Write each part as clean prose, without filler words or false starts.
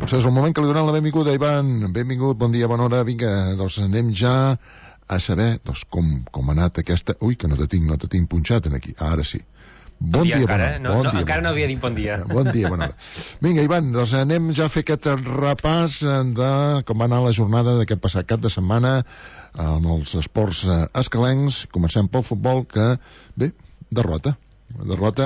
Això és el moment que li donem la benvinguda a Ivan. Benvingut, bon dia, bona hora. Vinga, doncs anem ja a saber com ha anat aquesta... Ui, que no te tinc punxat aquí. Ara sí. Bon dia, bona hora. Encara no havia dit bon dia. Bon dia, bona hora. Vinga, Ivan, doncs anem ja a fer aquest repàs de com va anar la jornada d'aquest passat cap de setmana amb els esports escalencs. Comencem pel futbol, que, bé, derrota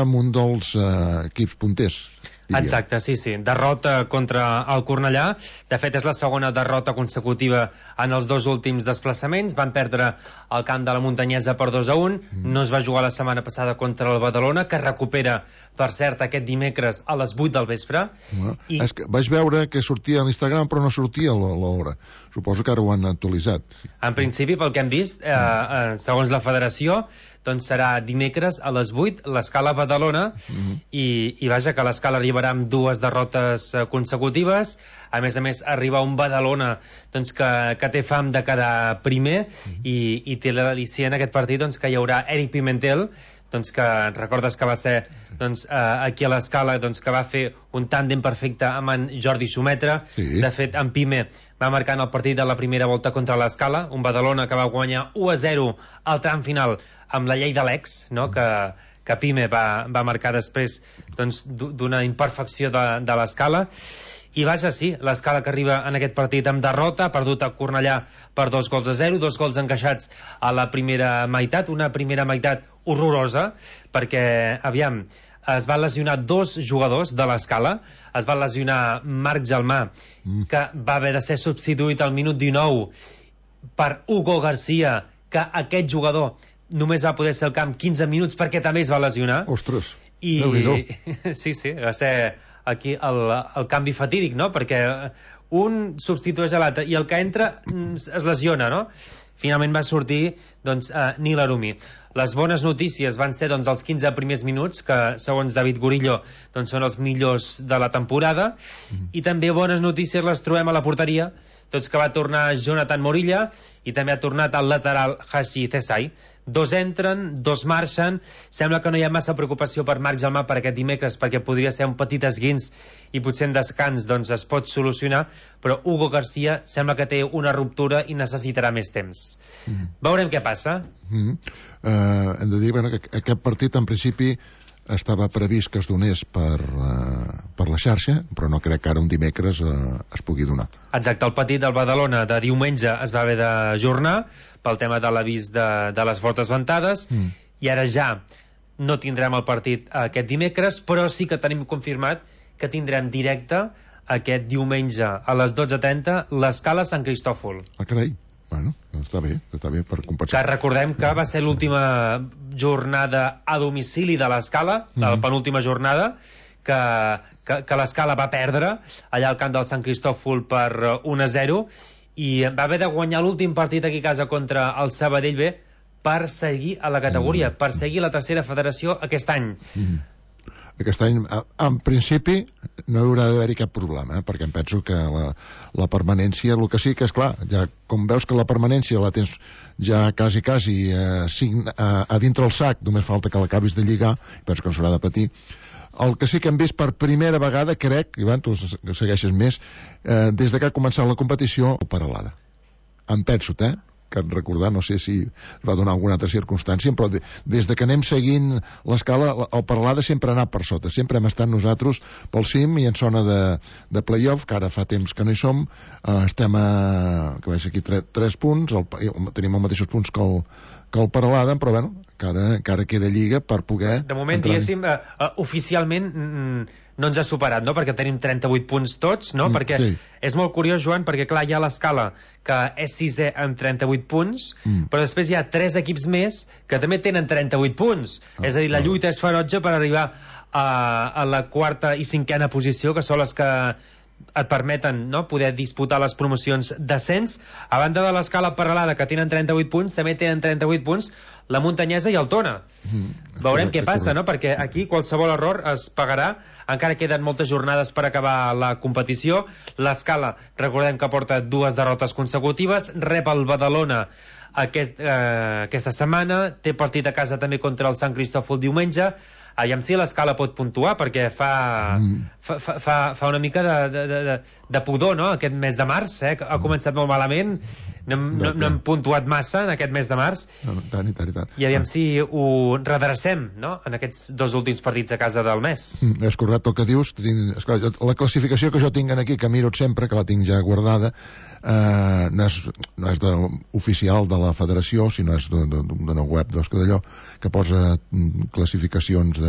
amb un dels equips punters. Exacte, sí. Derrota contra el Cornellà. De fet, és la segona derrota consecutiva en els dos últims desplaçaments. Van perdre el camp de la Muntanyesa per 2-1. No es va jugar la setmana passada contra el Badalona, que recupera, per cert, aquest dimecres a les 8 del vespre. És que vaig veure que sortia a l'Instagram, però no sortia l'hora. Suposo que ara ho han actualitzat. En principi, pel que hem vist, segons la federació, doncs serà dimecres a les 8 l'escala Badalona i vaja, que l'escala arribarà amb dues derrotes consecutives. A més, arriba un Badalona doncs, que té fam de quedar primer i té l'al·licient en aquest partit doncs, que hi haurà Eric Pimentel, doncs, que recordes que va ser doncs, aquí a l'escala doncs, que va fer un tàndem perfecte amb en Jordi Sumetra. De fet, en Pime va marcar en el partit de la primera volta contra l'escala, un Badalona que va guanyar 1-0 al tram final amb la llei de l'ex, no? que Pime va marcar després doncs, d'una imperfecció de l'escala. I vaja, sí, l'escala que arriba en aquest partit amb derrota, ha perdut a Cornellà per 2-0, 2 gols encaixats a la primera meitat, una primera meitat horrorosa, perquè, aviam, es van lesionar dos jugadors de l'escala. Es va lesionar Marc Gelmà, que va haver de ser substituït al minut 19 per Hugo García, que aquest jugador només va poder ser al camp 15 minuts perquè també es va lesionar. Ostres, Déu-n'hi-do. Sí, va ser aquí el canvi fatídic, no? Perquè un substitueix a l'altre i el que entra es lesiona, no? Finalment va sortir doncs, Nil Arumi. Les bones notícies van ser doncs, els 15 primers minuts, que segons David Gorillo doncs, són els millors de la temporada, i també bones notícies les trobem a la porteria, tots que va tornar Jonathan Morilla i també ha tornat el lateral Hashi Cesai. Dos entren, dos marxen. Sembla que no hi ha massa preocupació per Marc Gelmà per aquest dimecres, perquè podria ser un petit esguins i potser en descans doncs, es pot solucionar, però Hugo García sembla que té una ruptura i necessitarà més temps. Veurem què passa. Hem de dir que aquest partit en principi estava previst que es donés per la xarxa, però no crec que ara un dimecres es pugui donar. Exacte, el partit del Badalona de diumenge es va haver d'ajornar pel tema de l'avís de les fortes ventades, i ara ja no tindrem el partit aquest dimecres, però sí que tenim confirmat que tindrem directe aquest diumenge a les 12:30 l'escala Sant Cristòfol. Carai. Bueno, està bé per compensar. Que recordem que va ser l'última jornada a domicili de l'escala, la penúltima jornada, que l'escala va perdre allà al camp del Sant Cristòfol per 1-0, i va haver de guanyar l'últim partit aquí a casa contra el Sabadell B per seguir a la categoria, per seguir la tercera federació aquest any. Aquest any, en principi, no hi haurà d'haver-hi cap problema, perquè em penso que la permanència, el que sí que és clar, ja com veus que la permanència la tens ja quasi a dintre el sac, només falta que l'acabis de lligar, penso que no s'haurà de patir. El que sí que hem vist per primera vegada, crec, Ivan, tu segueixes més, des que ha començat la competició, Peralada. Em penso, que recordar, no sé si va donar alguna altra circumstància, però des que anem seguint l'escala, el Peralada sempre ha anat per sota, sempre hem estat nosaltres pel cim i en zona de playoff, que ara fa temps que no hi som, estem que veig aquí 3 punts, tenim els mateixos punts que el Peralada, però bueno, que ara queda lliga per poder... De moment, diguéssim, oficialment no ens ha superat, no? Perquè tenim 38 punts tots, no? Perquè és molt curiós, Joan, perquè clar, hi ha l'escala que és 6è amb 38 punts, però després hi ha 3 equips més que també tenen 38 punts. És a dir, la lluita és ferotge per arribar a la 4ª i 5ª posició, que són les que et permeten poder disputar les promocions d'ascens. A banda de l'escala Peralada, que tenen 38 punts, també tenen 38 punts la Muntanyesa i el Tona. Veurem què passa, no? Perquè aquí qualsevol error es pagarà. Encara queden moltes jornades per acabar la competició. L'escala, recordem que porta 2 derrotes consecutives, rep el Badalona aquesta setmana, té partit a casa també contra el Sant Cristòfol diumenge. Aviam si l'Escala pot puntuar, perquè fa una mica de pudor, no?, aquest mes de març, ha començat molt malament, no hem puntuat massa en aquest mes de març, i aviam si ho redrecem, no?, en aquests 2 últims partits a casa del mes. És correcte el que dius. La classificació que jo tinc aquí, que miro sempre, que la tinc ja guardada, no és oficial de la federació, sinó és d'una web d'allò que posa classificacions de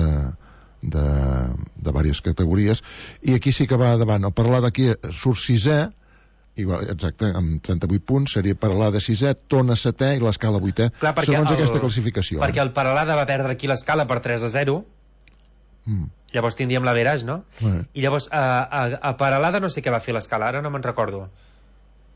diverses categories, i aquí sí que va davant. El Paralà d'aquí surt 6è, igual, exacte, amb 38 punts, seria Paralà de 6è, Tona 7è i l'Escala 8è, segons aquesta classificació. Perquè el Paralà va perdre aquí l'Escala per 3-0, llavors tindríem l'average, no? I llavors a Paralada no sé què va fer l'Escala, ara no me'n recordo.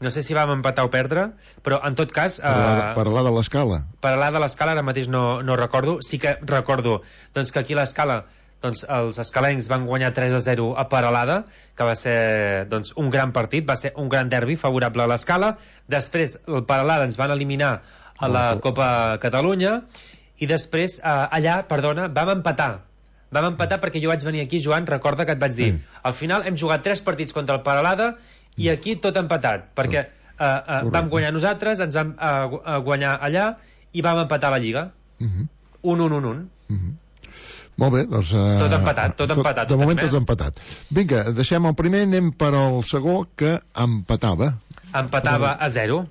No sé si vam empatar o perdre, però en tot cas... Paralada a l'Escala? Paralada a l'Escala ara mateix no recordo. Sí que recordo doncs, que aquí a l'Escala doncs, els escalencs van guanyar 3-0 a Paralada, que va ser doncs, un gran partit, va ser un gran derbi favorable a l'Escala. Després el Paralada ens van eliminar a la Copa Catalunya, i després allà, vam empatar. Vam empatar perquè jo vaig venir aquí, Joan, recorda que et vaig dir, al final hem jugat 3 partits contra el Paralada i aquí tot empatat, perquè vam guanyar nosaltres, ens vam guanyar allà i vam empatar la Lliga. 1-1-1-1. Molt bé, doncs... Tot empatat. De moment tot empatat. Vinga, deixem el primer, anem per al segon, que empatava. Empatava a 0.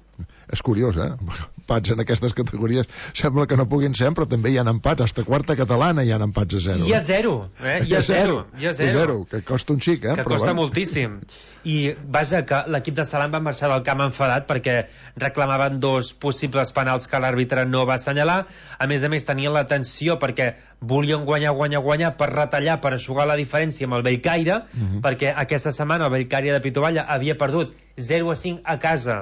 És curiós, empats en aquestes categories sembla que no puguin ser, però també hi ha empats, hasta quarta catalana hi ha empats a 0. I a 0, hi ha 0, que costa un xic, que costa moltíssim. I vaja, que l'equip de Salam va marxar del camp enfadat perquè reclamaven 2 possibles penals que l'àrbitre no va assenyalar. A més, tenien la tensió perquè volien guanyar per retallar, per aixugar la diferència amb el Bellcaire, perquè aquesta setmana el Bellcaire de Pitovalla havia perdut 0-5 a casa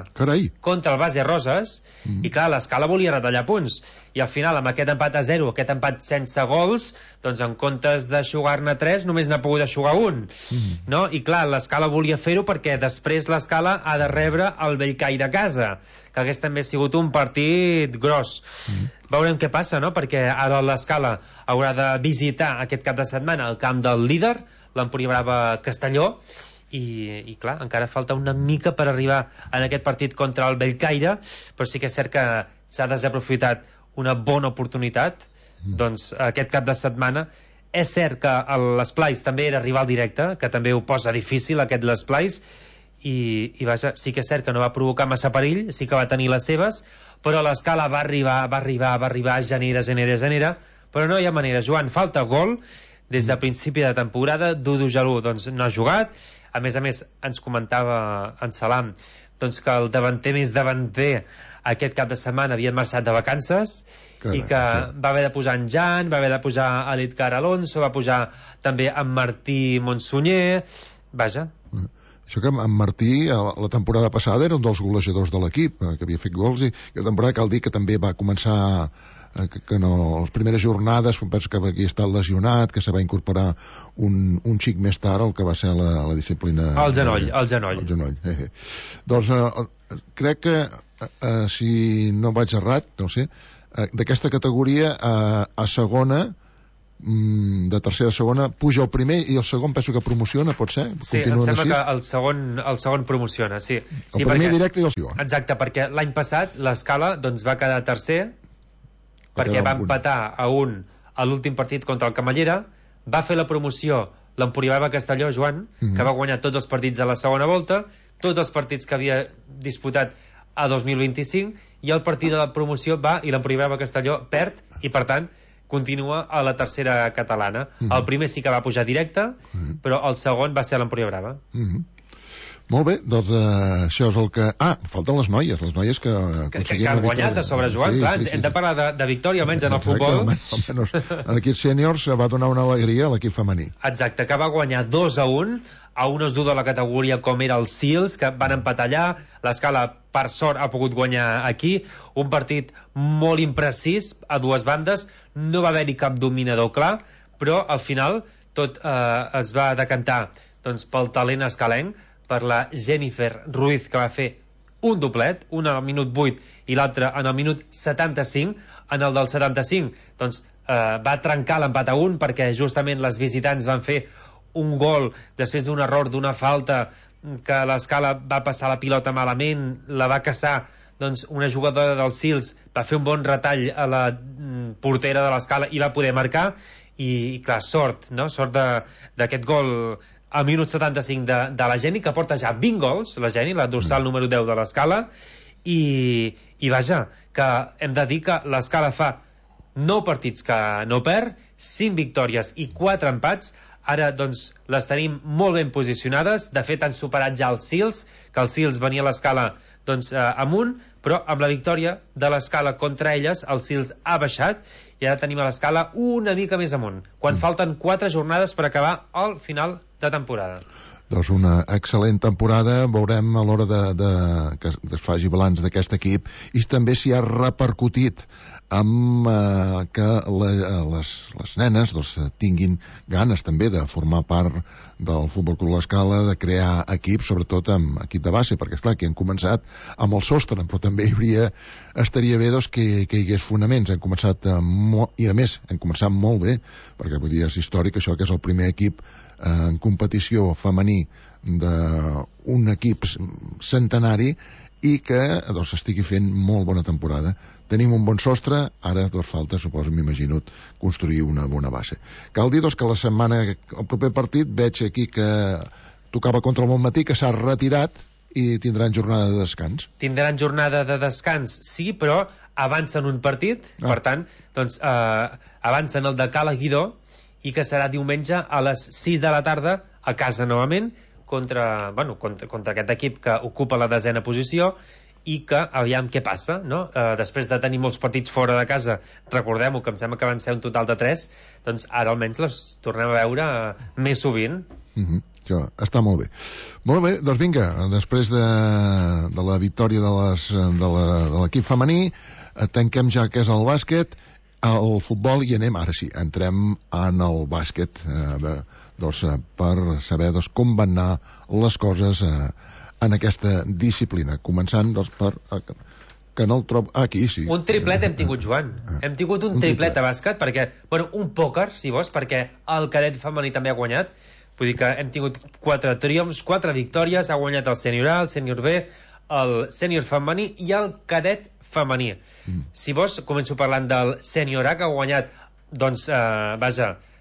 contra el Base Roses, i clar, l'Escala volia retallar punts, i al final amb aquest empat a 0, aquest empat sense gols, doncs en comptes d'aixugar-ne 3 només n'ha pogut aixugar 1, no? I clar, l'Escala volia fer-ho perquè després l'Escala ha de rebre el Bellcaire a casa, que hagués també sigut un partit gros. Veurem què passa, no? Perquè ara l'Escala haurà de visitar aquest cap de setmana el camp del líder, l'Empúria Brava Castelló, i clar, encara falta una mica per arribar en aquest partit contra el Bellcaire, però sí que és cert que s'ha desaprofitat una bona oportunitat. Doncs aquest cap de setmana és cert que l'Esplais també era rival directe, que també ho posa difícil aquest l'Esplais, i vaja, sí que és cert que no va provocar massa perill, sí que va tenir les seves, però l'Escala va arribar genera, però no hi ha manera. Joan, falta gol des de principi de temporada. Dudu Jalú doncs no ha jugat. A més, ens comentava en Salam doncs, que el davanter més davanter aquest cap de setmana havien marxat de vacances, i que va haver de posar en Jan, va haver de posar a l'Edgar Alonso, va posar també en Martí Montsunyer. Vaja. Això que en Martí la temporada passada era un dels golejadors de l'equip, que havia fet gols, i la temporada cal dir que també va començar que no, les primeres jornades penso que havia estat lesionat, que se va incorporar un xic més tard el que va ser la disciplina el genoll. Doncs crec que si no vaig errat, no sé, d'aquesta categoria a segona, de tercera a segona, puja el primer i el segon penso que promociona, pot ser? Sí, em sembla que el segon promociona, sí. El primer directe i el segon. Exacte, perquè l'any passat l'Escala doncs, va quedar tercer, perquè va empatar a l'últim partit contra el Camallera, va fer la promoció l'Empúria Brava Castelló, Joan, que va guanyar tots els partits de la segona volta, tots els partits que havia disputat a 2025, i el partit de la promoció va i l'Empúria Brava Castelló perd, i per tant continua a la tercera catalana. El primer sí que va pujar directe, però el segon va ser l'Empúria Brava. Molt bé, doncs això és el que... falten les noies que han guanyat a sobre, Joan. Hem de parlar de victòria, almenys en el futbol. Almenys en l'equip sèniors va donar una alegria a l'equip femení. Exacte, que va guanyar 2-1 a un esdu de la categoria com era el Sils, que van empatar allà. L'Escala, per sort, ha pogut guanyar aquí. Un partit molt imprecís a dues bandes. No va haver-hi cap dominador clar, però al final tot es va decantar doncs, pel talent escalenc, per la Jennifer Ruiz, que va fer un doblet, un al minut 8 i l'altre en el minut 75. En el del 75 doncs, va trencar l'empat a 1 perquè justament les visitants van fer un gol després d'un error, d'una falta, que l'Escala va passar la pilota malament, la va caçar, doncs una jugadora del Sils va fer un bon retall a la portera de l'Escala i va poder marcar. I clar, sort, no? Sort d'aquest gol al minut 75 de la Geni, que porta ja 20 gols, la Geni, la dorsal número 10 de l'Escala, i vaja, que hem de dir que l'Escala fa 9 partits que no perd, 5 victòries i 4 empats. Ara, doncs, les tenim molt ben posicionades. De fet, han superat ja els Sils, que el Sils venia a l'Escala doncs, amunt, però amb la victòria de l'Escala contra elles, el Sils ha baixat i ara tenim a l'Escala una mica més amunt, quan falten 4 jornades per acabar el final de temporada. Doncs una excel·lent temporada. Veurem a l'hora que es faci balanç d'aquest equip i també s'hi ha repercutit amb que les nenes doncs, tinguin ganes també de formar part del Futbol Club L'Escala, de crear equips, sobretot amb equip de base, perquè esclar, que han començat amb el sostre, però també estaria bé doncs, que hi hagués fonaments. Han començat i a més han començat molt bé, perquè vull dir, és històric això, que és el primer equip en competició femení d'un equip centenari i que doncs, estigui fent molt bona temporada. Tenim un bon sostre, ara doncs, falta, suposo, m'imagino, construir una bona base. Cal dir doncs, que la setmana, el proper partit, veig aquí que tocava contra el Montmatí, que s'ha retirat i tindran jornada de descans. Tindran jornada de descans, sí, però avancen un partit, per tant, doncs, avancen el de Cala Guidó, i que serà diumenge a les 6 de la tarda a casa novament contra aquest equip que ocupa la 10ª posició i que aviam què passa, no? Després de tenir molts partits fora de casa, recordem-ho, que em sembla que van ser un total de 3, doncs ara almenys les tornem a veure més sovint. Això està molt bé. Molt bé, doncs vinga, després de la victòria de l'equip femení, tanquem ja que és el bàsquet, al futbol, i entrem en el bàsquet doncs, per saber doncs, com van anar les coses en aquesta disciplina, començant doncs, per que no el trobo aquí, sí. Un triplet hem tingut, Joan. Hem tingut un triplet a bàsquet, perquè, un pòquer, si vols, perquè el cadet femení també ha guanyat. Vull dir que hem tingut 4 triomfs, 4 victòries, ha guanyat el sènior A, el sènior B, el sènior femení i el cadet femení. Si vols, començo parlant del sènior A, que ha guanyat, doncs,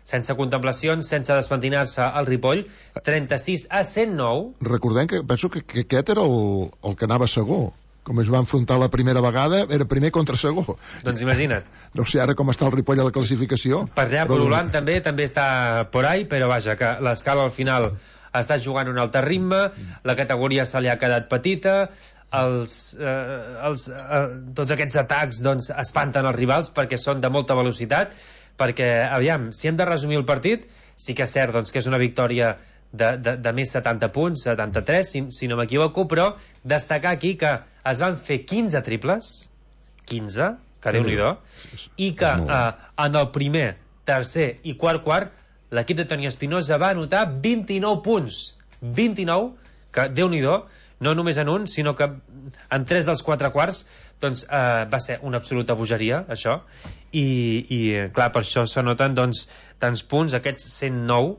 sense contemplacions, sense despentinar-se al Ripoll, 36-109. Recordem que penso que aquest era el que anava segon. Com es va enfrontar la primera vegada, era primer contra segon. Doncs imagina't. No sé ara com està el Ripoll a la classificació. Per allà, Pololant també està por ahí, però vaja, que l'Escala al final està jugant un altre ritme, la categoria se li ha quedat petita, tots aquests atacs doncs, espanten els rivals perquè són de molta velocitat, perquè, aviam, si hem de resumir el partit, sí que és cert doncs, que és una victòria de més 70 punts, 73, si no m'equivoco, però destacar aquí que es van fer 15 triples, 15, que Déu-n'hi-do, i que en el primer, tercer i quart, l'equip de Toni Espinosa va anotar 29 punts. 29, que Déu-n'hi-do, no només en un, sinó que en 3 dels 4 quarts doncs, va ser una absoluta bogeria, això, i clar, per això s'anoten doncs, tants punts, aquests 109,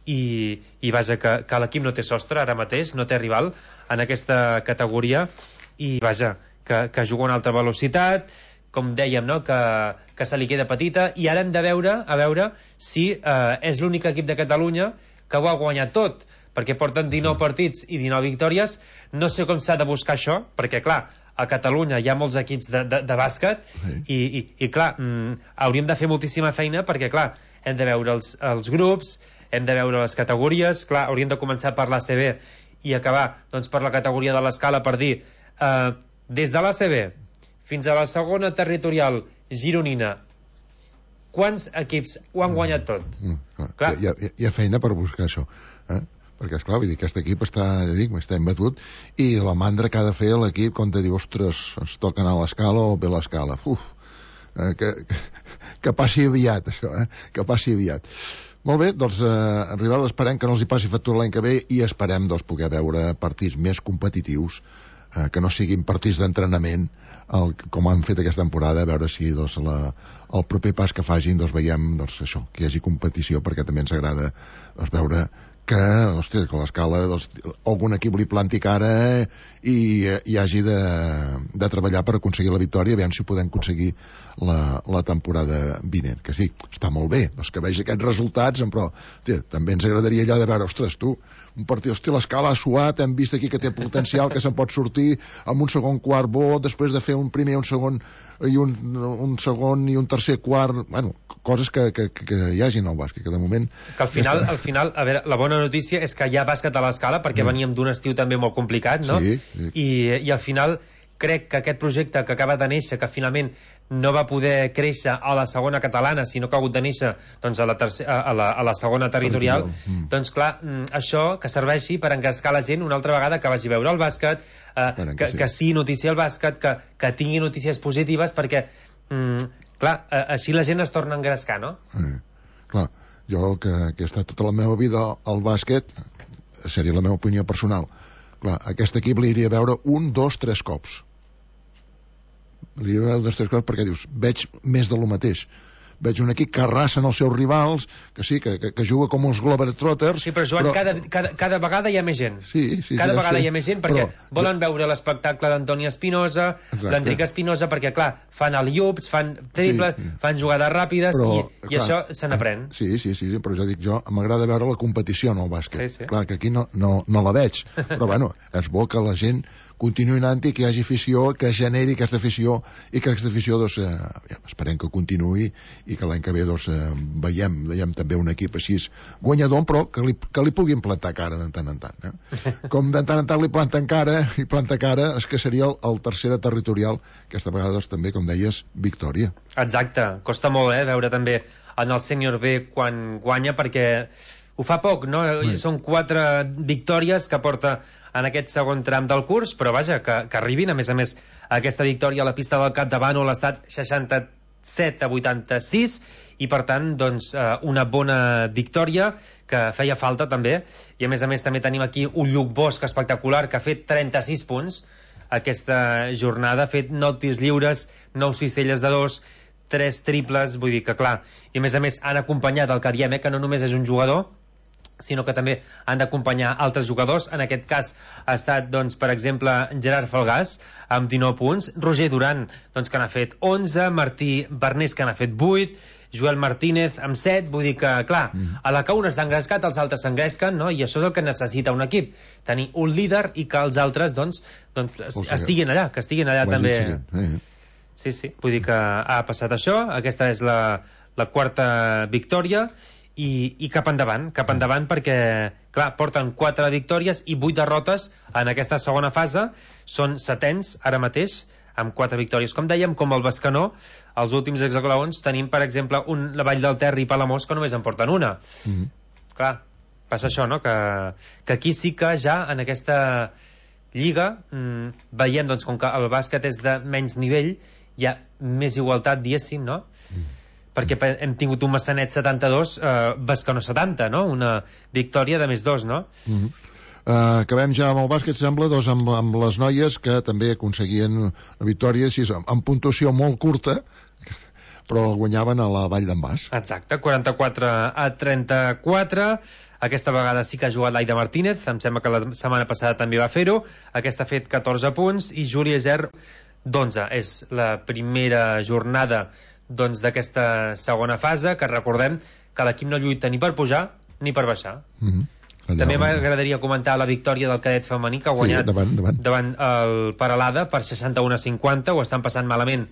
i vaja, que l'equip no té sostre ara mateix, no té rival en aquesta categoria, i vaja, que juga a una alta velocitat, com dèiem, no? que se li queda petita, i ara hem de veure si és l'únic equip de Catalunya que ho ha guanyat tot, perquè porten 19 partits i 19 victòries. No sé com s'ha de buscar això, perquè clar, a Catalunya hi ha molts equips de bàsquet i clar, hauríem de fer moltíssima feina perquè clar, hem de veure els grups, hem de veure les categories, clar, hauríem de començar per l'ACB i acabar doncs, per la categoria de l'Escala, per dir des de l'ACB fins a la segona territorial gironina, quants equips ho han guanyat tot? Clar. Hi ha feina per buscar això, perquè esclar, vull dir, aquest equip està embatut, i la mandra que ha de fer l'equip quan te diu, ostres, ens toca anar a l'Escala o bé l'Escala, que passi aviat això, que passi aviat. Molt bé, doncs arribar, esperem que no els hi passi factura l'any que ve, i esperem doncs, poder veure partits més competitius que no siguin partits d'entrenament com han fet aquesta temporada, a veure si doncs, el proper pas que facin doncs, veiem doncs, això, que hi hagi competició, perquè també ens agrada doncs, veure que, hòstia, que l'escala doncs, algun equip li planti cara i hagi de treballar per aconseguir la victòria, aviam si podem aconseguir la temporada vinent, que sí, està molt bé doncs, que vegi aquests resultats, però hòstia, també ens agradaria allò de veure, ostres, tu un partit, hòstia, l'escala ha suat, hem vist aquí que té potencial, que se'n pot sortir amb un segon quart bo, després de fer un primer, un segon i un segon i un tercer quart, bueno, coses que hi hagi en el bàsquet, que de moment... Que al final, a veure, la bona notícia és que hi ha bàsquet a l'escala, perquè veníem d'un estiu també molt complicat, no? Sí. I al final crec que aquest projecte que acaba de néixer, que finalment no va poder créixer a la segona catalana, sinó que ha hagut de néixer doncs, a la segona territorial, doncs clar, això que serveixi per engrescar la gent una altra vegada, que vagi a veure el bàsquet, que sí noticia el bàsquet, que tingui notícies positives, perquè clar, així la gent es torna a engrescar, no? Clar, jo que he estat tota la meva vida al bàsquet, seria la meva opinió personal, clar, aquest equip l'iria a veure 1, 2, 3 cops. L'iria a veure 2, 3 cops perquè dius, veig més de lo mateix. Veig un equip que arrasen els seus rivals, que sí, que juga com uns Globetrotters... Sí, però Joan, cada vegada hi ha més gent. Sí, cada vegada hi ha més gent, perquè volen veure l'espectacle d'Antoni Espinosa, l'Enric Espinosa, perquè, clar, fan alley-oops, fan triples, fan jugades ràpides, i això se n'aprèn. Sí, però ja dic jo, m'agrada veure la competició en el bàsquet. Sí. Clar, que aquí no la veig, però bueno, és bo que la gent continuï anant i que hi hagi afició, que generi aquesta afició, i que aquesta afició, doncs, esperem que continuï i que l'any que ve, doncs, veiem també un equip així guanyador, però que li puguin plantar cara de tant en tant. Com de tant en tant li planten cara, és que seria el tercera territorial, aquesta vegada, doncs, també, com deies, victòria. Exacte, costa molt, veure també en el sènior B quan guanya, perquè ho fa poc, no? Són 4 victòries que porta en aquest segon tram del curs, però vaja, que arribin, a més, aquesta victòria a la pista del Capdavant, l'ha estat 67-86, i per tant, doncs, una bona victòria que feia falta també, i a més també tenim aquí un Lluc Bosch espectacular, que ha fet 36 punts aquesta jornada, ha fet 9 tirs lliures, 9 cistelles de 2, 3 triples, vull dir que clar, i a més han acompanyat el que diem, que no només és un jugador, sinó que també han d'acompanyar altres jugadors. En aquest cas ha estat, doncs, per exemple, Gerard Falgàs amb 19 punts, Roger Duran, doncs, que n'ha fet 11, Martí Bernés, que n'ha fet 8, Joel Martínez amb 7, vull dir que, clar, a la que un està engrescat, els altres s'engresquen, no? I això és el que necessita un equip, tenir un líder i que els altres, doncs estiguin allà, també. Sí, vull dir que ha passat això, aquesta és la quarta victòria, i cap endavant, perquè, clar, porten 4 victòries i 8 derrotes en aquesta segona fase, són setens ara mateix, amb 4 victòries, com dèiem, com el Bescanó. Els últims hexagonals tenim, per exemple, la Vall del Ter i Palamós, que només en porten una. Clar, passa això, no? Que aquí sí que ja en aquesta lliga veiem, doncs, com que el bàsquet és de menys nivell, hi ha més igualtat, diguéssim, no? Perquè hem tingut un Massanet 72, Bescanó 70, no? Una victòria de més 2, no? Acabem ja amb el bàsquet, sembla, doncs, amb les noies que també aconseguien la victòria així, amb puntuació molt curta, però guanyaven a la Vall d'en Bas. Exacte, 44-34. Aquesta vegada sí que ha jugat l'Aida Martínez, em sembla que la setmana passada també va fer-ho. Aquesta ha fet 14 punts i Júlia Ger 11. És la primera jornada d'aquesta segona fase, que recordem que l'equip no lluita ni per pujar ni per baixar. També m'agradaria comentar la victòria del cadet femení, que ha guanyat davant el Peralada per 61-50. Ho estan passant malament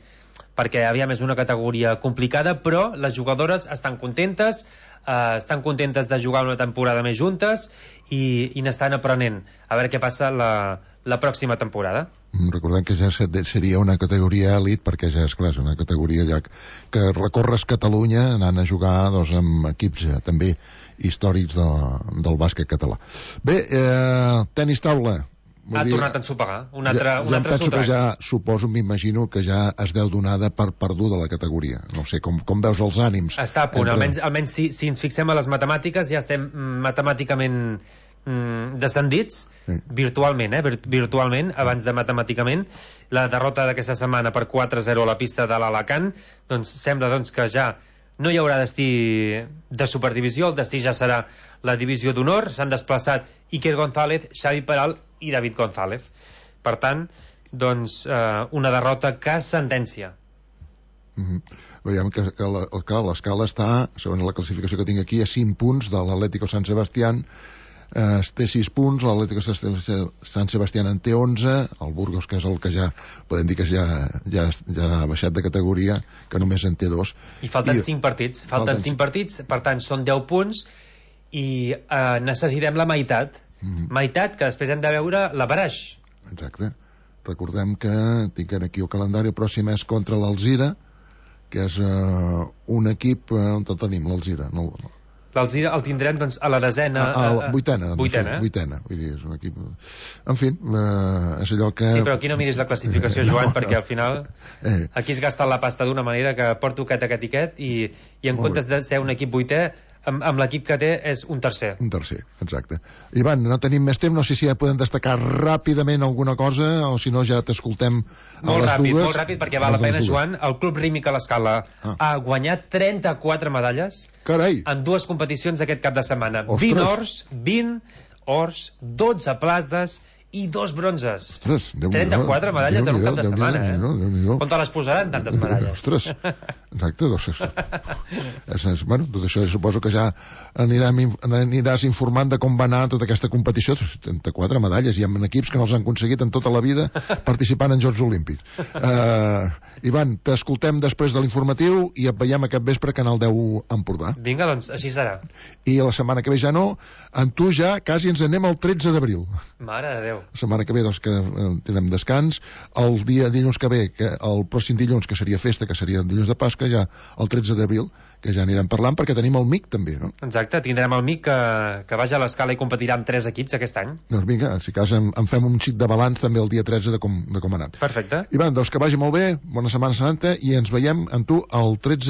perquè és una categoria complicada, però les jugadores estan contentes de jugar una temporada més juntes i n'estan aprenent a veure què passa la pròxima temporada. Recordem que ja seria una categoria elit, perquè ja és clar, és una categoria ja que recorres Catalunya anant a jugar, doncs, amb equips també històrics del bàsquet català. Bé, tenis taula. Ha tornat a ensopegar un altre penso que ja, suposo, m'imagino que ja es deu donar per perduda la categoria. No sé, com veus els ànims? Està a punt, almenys si ens fixem a les matemàtiques, ja estem matemàticament descendits virtualment, virtualment, abans de matemàticament. La derrota d'aquesta setmana per 4-0 a la pista de l'Alacant, doncs sembla doncs, que ja no hi haurà destí de superdivisió, el destí ja serà la divisió d'honor. S'han desplaçat Iker González, Xavi Peral i David González. Per tant, doncs, una derrota que sentència. Veiem que l'escala està, segons la classificació que tinc aquí, a 5 punts de l'Atlético San Sebastián. Té 6 punts, l'Atlético San Sebastián en té 11, el Burgos, que és el que ja podem dir que ja ha baixat de categoria, que només en té 2. I falten 5 partits, per tant són 10 punts i necessitem la meitat, meitat que després hem de veure la baraix. Exacte. Recordem que tinc aquí el calendari pròxim és contra l'Alzira, que és un equip on tot tenim, l'Alzira. L'Alzira el tindrem doncs, a la desena... Vuitena. Vull dir, és un equip... En fi, és allò que... Sí, però aquí no miris la classificació, Joan, perquè al final aquí es gasta la pasta d'una manera que porto aquest i en comptes de ser un equip vuitè, amb l'equip que té és un tercer. Un tercer, exacte. Ivan, no tenim més temps, no sé si ja podem destacar ràpidament alguna cosa o si no ja t'escoltem a les dues. Molt ràpid, perquè val la pena, Joan. El Club Rímic a l'Escala ha guanyat 34 medalles en 2 competicions aquest cap de setmana. 20 ors, 12 plates i 2 bronzes. 34 medalles en un cap de setmana, On te les posaran tantes medalles? Ostres, exacte. Bueno, tot això suposo que ja aniràs informant de com va anar tota aquesta competició. 34 medalles, i amb equips que no els han aconseguit en tota la vida participant en Jocs Olímpics. Ivan, t'escoltem després de l'informatiu i et veiem aquest vespre a Canal 10 Empordà. Vinga, doncs, així serà. I la setmana que ve ja no, amb tu ja quasi ens anem al 13 d'abril. Mare de Déu. La setmana que ve, doncs, que tindrem descans. El dia dilluns que ve, el pròxim dilluns, que seria festa, que seria el dilluns de Pasca, ja el 13 d'abril, que ja anirem parlant, perquè tenim el MIC també, no? Exacte, tindrem el MIC que vaja a l'Escala i competirà amb 3 equips aquest any. Doncs vinga, si cas en fem un xic de balanç també el dia 13 de com ha anat. Perfecte. Ivan, doncs que vagi molt bé, bona Setmana Santa, i ens veiem amb tu el 13